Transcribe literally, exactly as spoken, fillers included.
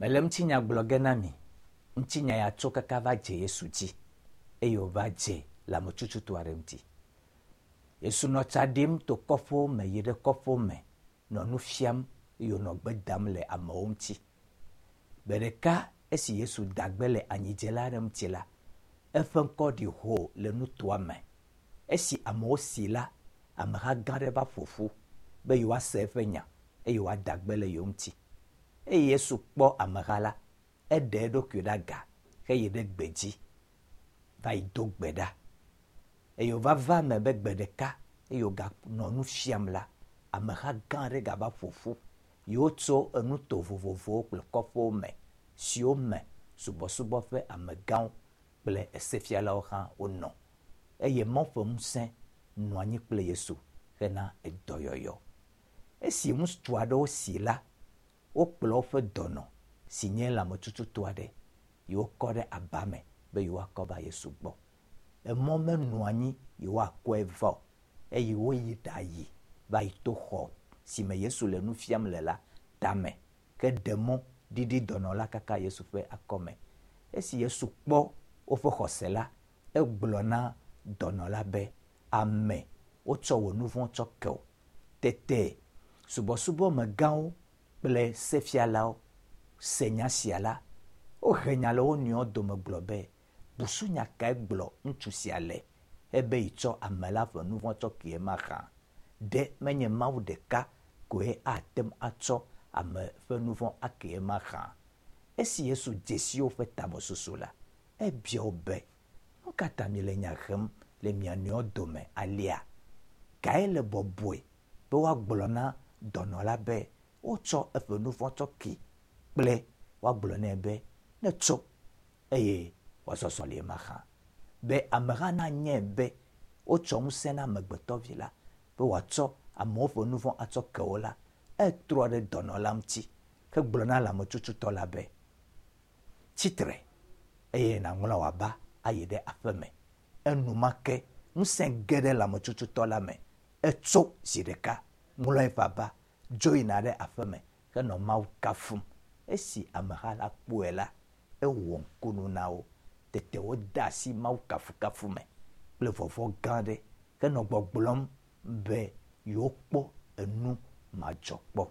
Mele ŋutinya gblɔ ge na mi. Ŋutinya ya tso kaka va dze Yesu dzi eye wòva dze lãmetututɔ aɖe ŋuti. Yesu nɔ tsa ɖim to kɔƒewo me yi ɖe kɔƒewo me nɔ nu fiam eye wònɔ gbe dam le amewo ŋuti. Gbe ɖeka esi Yesu da gbe le anyidzela aɖe ŋuti la, eƒe ŋkɔ ɖi hoo le nutoa me. Esi amewo si la, ameha gã aɖe va ƒo ƒu be yewoase eƒe nya eye wòada gbe le yewo ŋuti. Eye Yesu kpɔ ameha la, eɖe eɖokui ɖe aga heyi ɖe gbedzi va yi do gbe ɖa. Eye wòva va eme be gbe ɖeka eye wòganɔ nu fiam la, ameha gã aɖe gava ƒo ƒu yi wotso enuto vovovowo kple kɔƒewo me siwo me subɔsubɔ ƒe amegãwo kple esefialawo hã wonɔ. Eye Mawu ƒe ŋusẽ nɔ anyi kple Yesu hena edɔyɔyɔ. Esi ŋutsu aɖewo si la, wokplɔ woƒe dɔnɔ si nye lãmetututɔ aɖe yi wokɔ ɖe aba me be yewoakɔ va Yesu gbɔ. Emɔ menɔ anyi yewoakɔe va o eye woyi ɖayi va yi to xɔ si me Yesu le nu fiam le la tame ke ɖe mɔ ɖiɖi dɔnɔ la kaka Yesu ƒe akɔme. Esi Yesu kpɔ woƒe xɔse la, egblɔ na dɔnɔ la be, ame, wotsɔ wò nu vɔ̃ tsɔ ke wò. Tete subɔsubɔmegãwo kple sefialawo se nya sia la, wohe nya le wo nɔewo dome gblɔ be, busunya kae gblɔ ŋutsu sia le ebe yitsɔ ame la ƒe nu vɔ̃ tsɔ kee mahã? Ɖe menye Mawu ɖeka koe ate ŋu atsɔ ame ƒe nu vɔ̃ akee mahã? Esi Yesu dze si woƒe tamesusu la, ebia wo be, nu ka ta miele nya hem le mia nɔewo dome alea? Kae le bɔbɔe be woagblɔ na dɔnɔ la be wotsɔ eƒe nu vɔ̃ tsɔ kee kple woagblɔ nɛ be netso eye wòazɔ zɔli mahã? Be ameha nanyae be wotsɔ ŋusẽ na amegbetɔvi la be wòatsɔ amewo ƒe nu vɔ̃ atsɔ ke wo la, etrɔ ɖe dɔnɔ la ŋuti hegblɔ na lãmetututɔ la be, tsitre eye nàŋlɔ wò aba ayi ɖe aƒeme. Enumake ŋusẽ ge ɖe lãmetututɔ la me. Etso zi ɖeka, ŋlɔ eƒe aba, dzo yina ɖe aƒeme henɔ Mawu kafum. Esi ameha la kpɔe la, ewɔ ŋkunu na wo. Tete wode asi Mawu kafukafu me kple vɔvɔ̃ gã aɖe henɔ gbɔgblɔm be yewokpɔ enu madzɔkpɔ.